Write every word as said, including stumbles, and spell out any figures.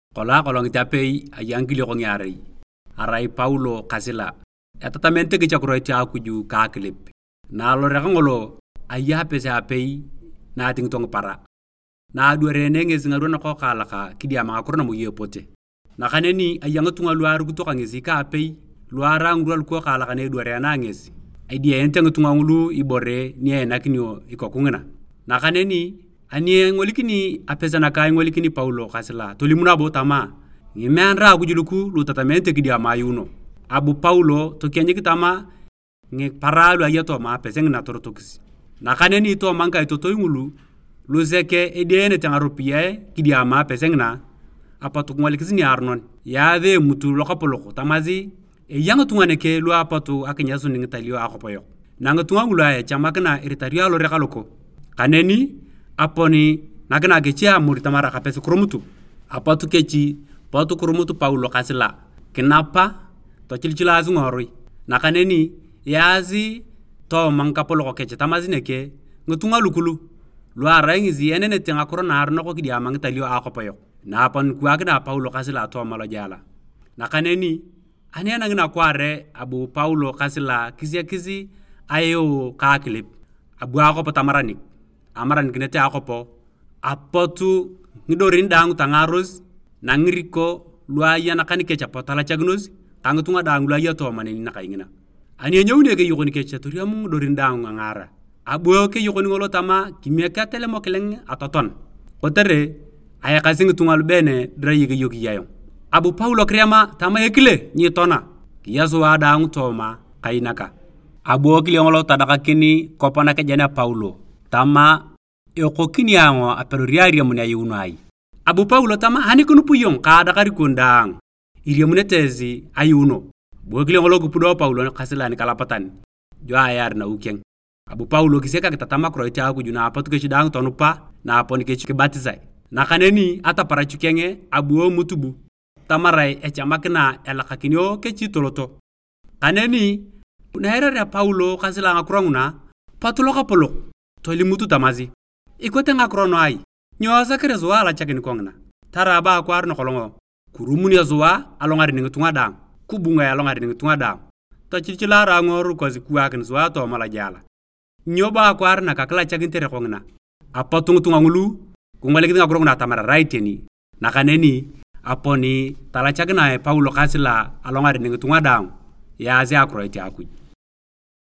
Kolong akolongit apei aya ngikiliok ngiarei, arai Paulo ka Sila, etatamanete kech akiroit a Akuj ka akilip. Na alorek ngolo, aya apese apei na atingito ngipara. Na adwarene ngesi ngirwa nakokaalak kidiama ngakiro namoyei epote. Nakaneni aya ngitunga lu arukito ka ngesi ka apei, lu arai ngirwa lukokaalak na edwarena ngesi, idiaenete ngitunga ngulu ibore ni einakinio ikoku ngina. Nakaneni ani engolikini apese naka ingolikini Paulo ka Sila, tolim nabo tama, "Ngimeanara Akuj luku lu itatamanete kidiama ayuuno." Abu Paulo tokienyik tama, "Ngipara lu aya tooma apese ngina torotokis." Nakaneni tooma ngikaitotoi ngulu, lu sek edienete ngaropiyae kidiama apese ngina, apot kingolikis niaronon, yaasi emutu lokapolok tamasi, "Eya ngitunga neke lu apot akinyasun ngitalio a akopoyok." Na ngitunga ngulu a echamakina iritario alorek loko. Kaneni aponi nakina kechi amur tamar akapes kirumutu. Apot kechi, pot kirumut Paulo ka Sila, kinapa, tochilichilaasi ngiworui. Nakaneni yaasi tooma ngikapolok kech tamasi neke, ngitunga lukulu, lu arai ngesi enenete ngakiro naaronok kidiama ngitalio a akopoyok. Na aponi kiwaakina Paulo ka Sila tooma lojela. Nakaneni ani enangina kwaare abu Paulo ka Sila kisiakis aeu ka akilip, abu akwap tamaranik, amaranikinete akwap, apotu ngidorin daang tangaaros, nangiriko lu aya nakan kech apot talachakinos, ka ngitunga daang lu aya tooma neni nakaingina. Ani enyouni ekeyokon kech, toriam ngidorin daang angaara. Abu ekeyokon ngolo tama, "Kimiek atelemo kileng atoton, kotere ayakasi ngitunga lubene dirai ekeyokii ayong." Abu Paulo kiriama tama, "Ekile, nyitona, kiya sua daang tooma kainaka." Abu ekile ngolo tadakakin kop nakejen a Paulo tama, "Ekokini ayong apedori ariamun ayuuno ai?" Abu Paulo tama, "Ani kinup iyong ka adakar ikon daang iriamunete esi ayuuno." Abu ekile ngolo kipudo Paulo ka Sila nikalapatan, dio ayaar nawi keng. Abu Paulo kisiak akitatam akiroit a Akuj na apot kech daang tonupa, na aponi kech kibatisae. Nakaneni ataparachu keng abu emutubu, tamarae echamakina elakakinio kechi toloto. Kaneni, na eirarea Paulo ka Sila ngakiro nguna, pot lokapolok tolimut tamasi, "Ikote ngakiro nu ai? Nyo esakere sua alachakin kongina? Tarai bo akwaar nakolong kirumunio sua alongaren ngitunga daang, kibungae alongaren ngitunga daang, tochichilara angoru kosi kiwaakin sua tooma lojela. Nyo bo akwaar naka kilachakinitere kongina?" Apot ngitunga ngulu kingolikis ngakiro nguna atamar arai iteni. Nakaneni aponi talachakinae Paulo ka Sila alongaren ngitunga daang, yaasi akiroit a Akuj.